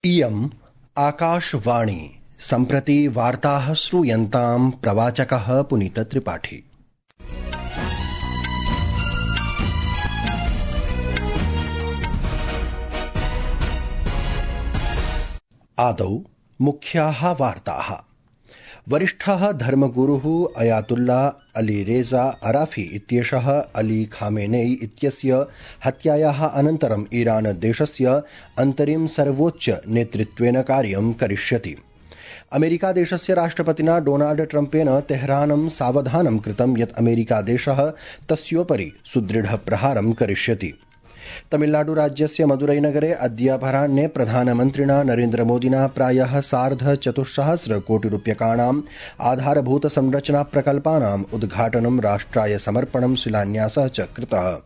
इयम् आकाशवाणी। सम्प्रति वार्ताः श्रूयन्ताम् प्रवाचकः पुनीतत्रिपाठी। आदौ मुख्याः वार्ताः। वरिष्ठः धर्मगुरुः अयातुल्ला अली रेजा अराफी इत्येषः अली खामेनेई इत्यस्य हत्यायाः अनन्तरम् ईरान देशस्य अन्तरिम सर्वोच्च नेतृत्वेन कार्यं करिष्यति। अमेरिका देशस्य राष्ट्रपतिना डोनाल्ड ट्रम्पेन तेहरानं सावधानं कृतं यत् अमेरिका देशः तस्योपरि सुदृढ प्रहारं करिष्यति। तमिलनाडु राज्यस्य मदुरैनगरे अद्य अपराह्ने प्रधानमन्त्रिणा नरेन्द्रमोदिना प्रायः 4,500 कोटिरूप्यकाणाम् आधारभूतसंरचना प्रकल्पानाम् उद्घाटनं राष्ट्राय समर्पणं शिलान्यासः च कृतः।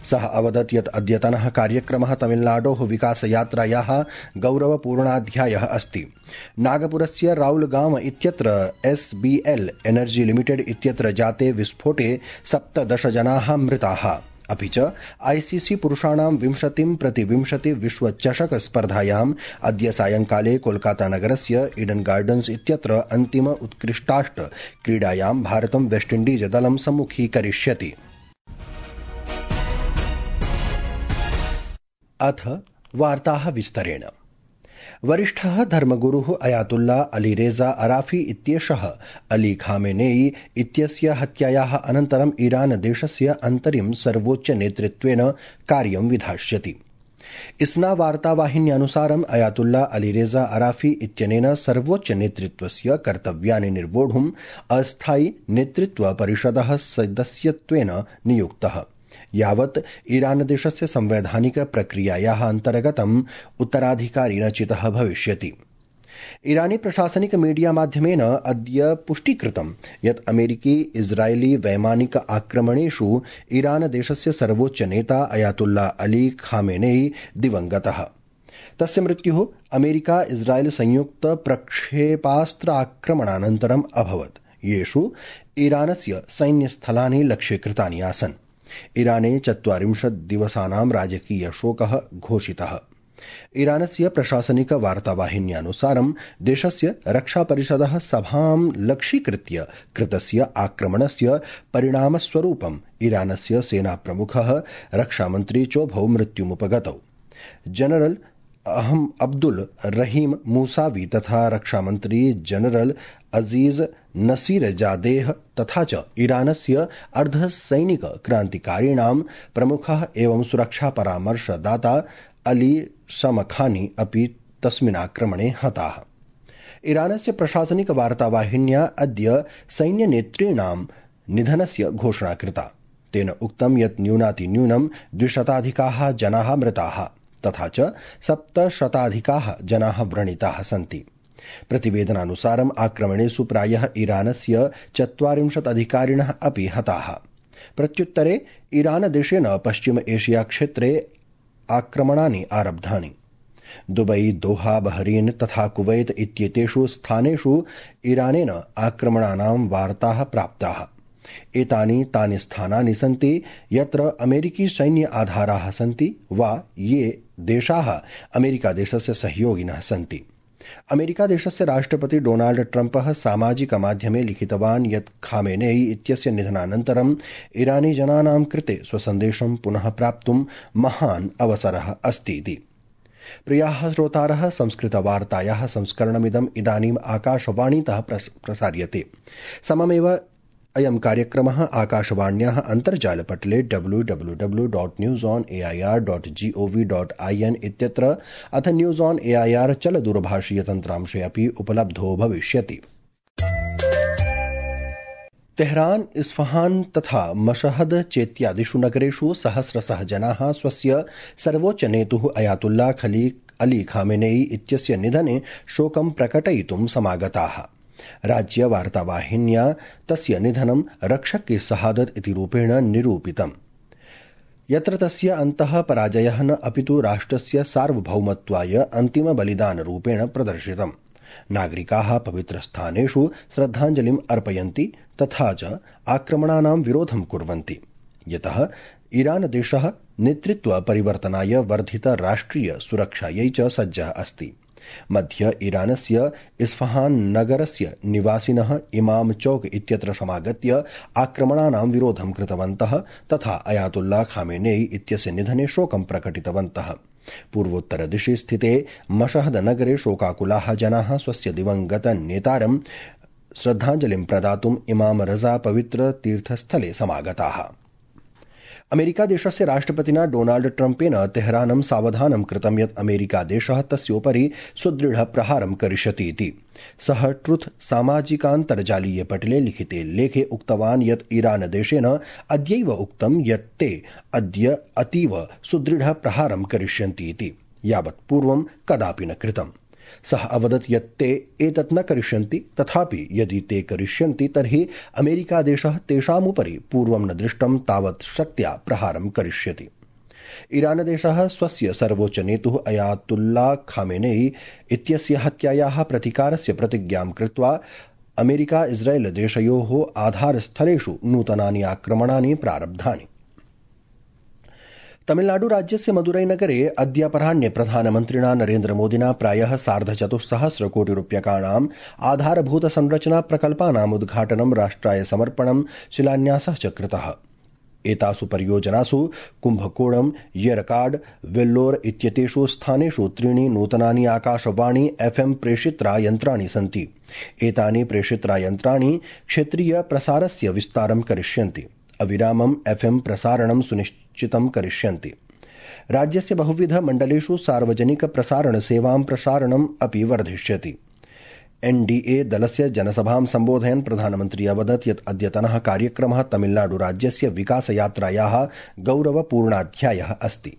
सः अवदत् यत् अद्यतनः कार्यक्रमः तमिलनाडोः विकासयात्रायाः गौरवपूर्णाध्यायः अस्ति। नागपुरस्य राउलगाम इत्यत्र SBL एनर्जी लिमिटेड इत्यत्र जाते विस्फोटे 17 जनाः मृताः। अपि च ICC पुरुषाणां 20x20 विश्वचषक स्पर्धायाम् अद्य सायंकाले कोलकाता नगरस्य ईडन गार्डन्स इत्यत्र अन्तिम उत्कृष्टाष्ट क्रीडायां भारतं वेस्टइंडीज दलं सम्मुखीकरिष्यति। अथ वार्ताः विस्तरेण। वरिष्ठः धर्मगुरुः अयातुल्ला अली रेजा अराफी इत्येषः अली खामेनेई इत्यस्य हत्यायाः अनन्तरम् ईरान देशस्य अन्तरिम सर्वोच्च नेतृत्वेन कार्यं विधास्यति। इस्ना वार्तावाहिन्यानुसारम् अयातुल्ला अली रेजा अराफी इत्यनेन सर्वोच्च नेतृत्वस्य कर्तव्यानि निर्वोढुम् अस्थायि नेतृत्व परिषदः सदस्यत्वेन नियुक्तः। यावत् ईरान देशस्य संवैधानिक प्रक्रियायाः अन्तर्गतम् उत्तराधिकारी न चितः भविष्यति। ईरानी प्रशासनिक मीडिया माध्यमेन अद्य पुष्टीकृतं यत् अमेरिकी इजरायली वैमानिक आक्रमणेषु ईरान देशस्य सर्वोच्च नेता अयातुल्ला अली खामेनेई दिवंगतः। तस्य मृत्युः अमेरिका इजरायल संयुक्त प्रक्षेपास्त्र आक्रमणानन्तरम् अभवत्, येषु ईरानस्य सैन्यस्थलानि लक्ष्यीकृतानि आसन्। ईराने 40 दिवसानां राजकीय शोकः घोषितः। ईरानस्य प्रशासनिक वार्तावाहिन्यानुसारं देशस्य रक्षापरिषदः सभां लक्ष्यीकृत्य कृतस्य आक्रमणस्य परिणामस्वरूपम् ईरानस्य सेनाप्रमुखः रक्षामन्त्री चोभौ मृत्युमुपगतौ। जनरल अब्दुल रहीम मूसावी तथा रक्षामन्त्री जनरल अजीज नसीरजादेह तथा च ईरानस्य अर्धसैनिक क्रान्तिकारिणां प्रमुखः एवं सुरक्षा परामर्शदाता अली शमखानी अपि तस्मिन् आक्रमणे हताः। ईरानस्य प्रशासनिक वार्तावाहिन्या अद्य सैन्यनेतॄणां निधनस्य घोषणा कृता। तेन उक्तं यत् न्यूनातिन्यूनं 200 जनाः मृताः तथा च 700 जनाः व्रणिताः सन्ति। प्रतिवेदनानुसारम् आक्रमणेषु प्रायः ईरानस्य 40 अधिकारिणः अपि हताः। प्रत्युत्तरे ईरान देशेन पश्चिम एशिया क्षेत्रे आक्रमणानि आरब्धानि। दुबई, दोहा, बहरीन तथा कुवैत इत्येतेषु स्थानेषु ईरानेन आक्रमणानां वार्ताः प्राप्ताः। एतानि तानि स्थानानि सन्ति यत्र अमेरिकी सैन्य आधाराः सन्ति वा ये देशाः अमेरिका देशस्य सहयोगिनः सन्ति। अमेरिका देशस्य राष्ट्रपति डोनाल्ड ट्रम्पः सामाजिक माध्यमे लिखितवान् यत् खामेनेई इत्यस्य निधनानन्तरम् ईरानी जनानां कृते स्वसन्देशं पुनः प्राप्तुं महान् अवसरः अस्ति इति। प्रियाः श्रोतारः, संस्कृतवार्तायाः संस्करणमिदम् इदानीम् आकाशवाणीतः प्रसार्यते। सममेव अयं कार्यक्रमः आकाशवाण्याः अन्तर्जालपटले www.newsonair.gov.in इत्यत्र अथ न्यूज़ ऑन एआईआर चलदूरभाषीयतन्त्रांशे अपि उपलब्धो भविष्यति। तेहरान, इस्फहान तथा मशहद चेत्यादिषु नगरेषु सहस्रशः जनाः स्वस्य सर्वोच्च नेतुः अयातुल्ला अली खामेनेई इत्यस्य निधने शोकं प्रकटयितुं समागताः। राज्य वार्तावाहिन्या तस्य निधनं रक्षक की शहादत इति रूपेण निरूपितम्, यत्र तस्य अन्तः पराजयः न अपितु राष्ट्रस्य सार्वभौमत्वाय अन्तिम बलिदानरूपेण प्रदर्शितम्। नागरिकाः पवित्रस्थानेषु श्रद्धाञ्जलिम् अर्पयन्ति तथा च आक्रमणानां विरोधं कुर्वन्ति, यतः ईरान देशः नेतृत्व परिवर्तनाय वर्धित राष्ट्रिय सुरक्षायै च सज्जः अस्ति। मध्य ईरानस्य इस्फहान नगरस्य निवासिनः इमाम चौक इत्यत्र समागत्य आक्रमणानां विरोधं कृतवन्तः तथा अयातुल्ला खामेनेई इत्यस्य निधने शोकं प्रकटितवन्तः। पूर्वोत्तरदिशि स्थिते मशहद नगरे शोकाकुलाः जनाः स्वस्य दिवंगत नेतारं श्रद्धाञ्जलिं प्रदातुम् इमाम रजा पवित्र तीर्थस्थले समागताः। अमेरिकादेशस्य राष्ट्रपतिना डोनाल्ड ट्रम्पेन तेहरानं सावधानं कृतं यत् अमेरिकादेशः तस्योपरि सुदृढ प्रहारं करिष्यति इति। सः ट्रुथ सामाजिकान्तर्जालीयपटले लिखिते लेखे उक्तवान् यत् ईरानदेशेन अद्यैव उक्तं यत् ते अद्य अतीव सुदृढ प्रहारं करिष्यन्ति इति, यावत् पूर्वं कदापि न कृतम्। सः अवदत् यत् ते एतत् न करिष्यन्ति, तथापि यदि ते करिष्यन्ति तर्हि अमेरिकादेशः तेषामुपरि पूर्वं न दृष्टं तावत् शक्त्या प्रहारं करिष्यति। ईरानदेशः स्वस्य सर्वोच्चनेतुः अयातुल्ला खामेनेई इत्यस्य हत्यायाः प्रतिकारस्य प्रतिज्ञां कृत्वा अमेरिका इस्राएल देशयोः आधारस्थलेषु नूतनानि आक्रमणानि प्रारब्धानि। तमिलनाडुराज्यस्य मदुरैनगरे अद्य अपराह्ने प्रधानमन्त्रिणा नरेन्द्रमोदिना प्रायः 450 कोटिरूप्यकाणाम् आधारभूतसंरचना प्रकल्पानाम् उद्घाटनं राष्ट्राय समर्पणं शिलान्यासः च कृतः। एतासु परियोजनासु कुम्भकोणं, येरकाड, वेल्लोर इत्येतेषु स्थानेषु 3 नूतनानि आकाशवाणी FM प्रेषित्रायन्त्राणि सन्ति। एतानि प्रेषित्रायन्त्राणि क्षेत्रीय प्रसारस्य विस्तारं करिष्यन्ति, अविरामं FM प्रसारणं सुनिश्चितं करिष्यन्ति। राज्यस्य बहुविध मण्डलेषु सार्वजनिक प्रसारण सेवां प्रसारणम् अपि वर्धिष्यति। NDA दलस्य जनसभां सम्बोधयन् प्रधानमन्त्री अवदत् यत् अद्यतनः कार्यक्रमः तमिलनाडुराज्यस्य विकासयात्रायाः गौरवपूर्णाध्यायः अस्ति।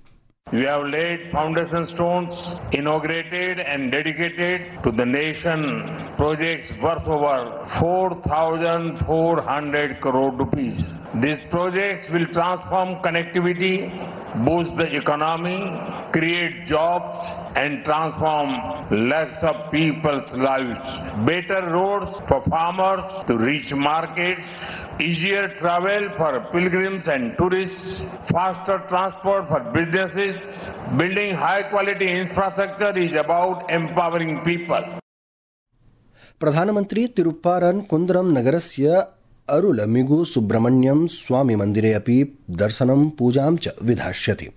We have laid foundation stones, inaugurated and dedicated to the nation projects worth over 4,400 crore rupees. These projects will transform connectivity, boost the economy, create jobs and transform lakhs of people's lives. Better roads for farmers to reach markets, easier travel for pilgrims and tourists, faster transport for businesses. Building high quality infrastructure is about empowering people. प्रधानमन्त्री तिरुप्पारन् कुन्द्रम नगरस्य अरुलमिगु सुब्रह्मण्यम स्वामी मन्दिरे अपि दर्शनं पूजां च विधास्यति।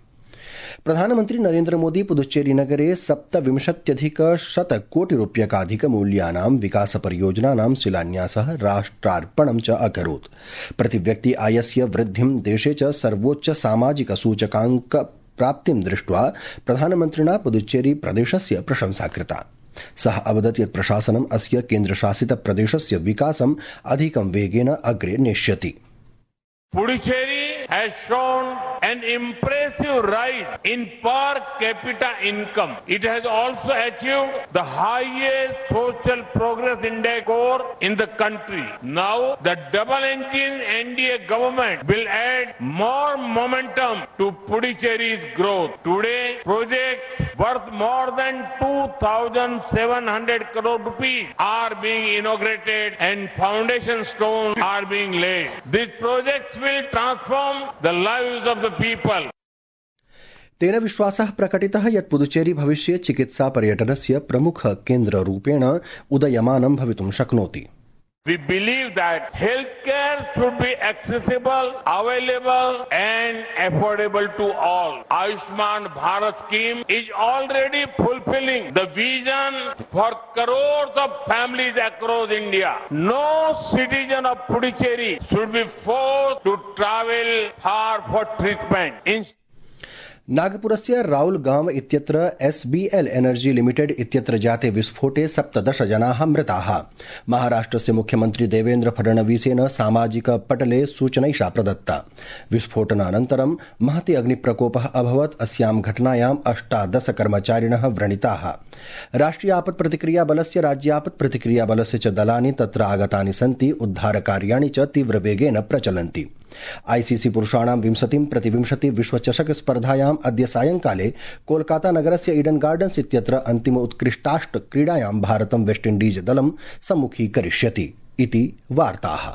प्रधानमन्त्री नरेन्द्र मोदी पुदुच्चेरी नगरे 27,100 कोटिरूप्यकाधिकमूल्यानां विकासपरियोजनानां शिलान्यासः राष्ट्रार्पणं च अकरोत्। प्रतिव्यक्ति आयस्य वृद्धिं देशे च सर्वोच्च सामाजिक सूचकाङ्क प्राप्तिं दृष्ट्वा प्रधानमन्त्रिणा पुदुच्चेरी प्रदेशस्य प्रशंसा कृता। सः अवदत् यत् प्रशासनम् अस्य केन्द्रशासित प्रदेशस्य विकासम् अधिकं वेगेन अग्रे नेष्यति। Puducherry has shown an impressive rise in per capita income. It has also achieved the highest social progress index score in the country. Now, the double-engine NDA government will add more momentum to Puducherry's growth. Today, projects worth more than 2,700 crore rupees are being inaugurated and foundation stones are being laid. These projects will transform the lives of the people. तेन विश्वासः प्रकटितः यत् पुदुचेरी भविष्ये चिकित्सा पर्यटनस्य प्रमुख केन्द्ररूपेण उदयमानं भवितुं शक्नोति। We believe that healthcare should be accessible, available and affordable to all. Ayushman Bharat scheme is already fulfilling the vision for crores of families across India. No citizen of Puducherry should be forced to travel far for treatment. नागपुरस्य Raul गांव इत्यत्र SBL energy limited इत्यत्र जाते विस्फोटे 17 जनाः मृताः। महाराष्ट्रस्य मुख्यमन्त्री देवेन्द्र फडणवीसेन सामाजिक पटले सूचनैषा प्रदत्ता। विस्फोटनानन्तरं महती अग्निप्रकोपः अभवत्। अस्यां घटनायां 18 कर्मचारिणः व्रणिताः। राष्ट्रिय आपत् प्रतिक्रिया बलस्य राज्यापत् प्रतिक्रिया बलस्य च दलानि तत्र आगतानि सन्ति। उद्धारकार्याणि च तीव्रवेगेन प्रचलन्ति। ICC पुरुषाणां 20x20 विश्वचषक स्पर्धायाम् अद्य सायंकाले कोलकाता नगरस्य ईडन गार्डन्स इत्यत्र अन्तिम उत्कृष्टाष्ट क्रीडायां भारतं वेस्टइण्डीज दलं सम्मुखीकरिष्यति इति वार्ताः।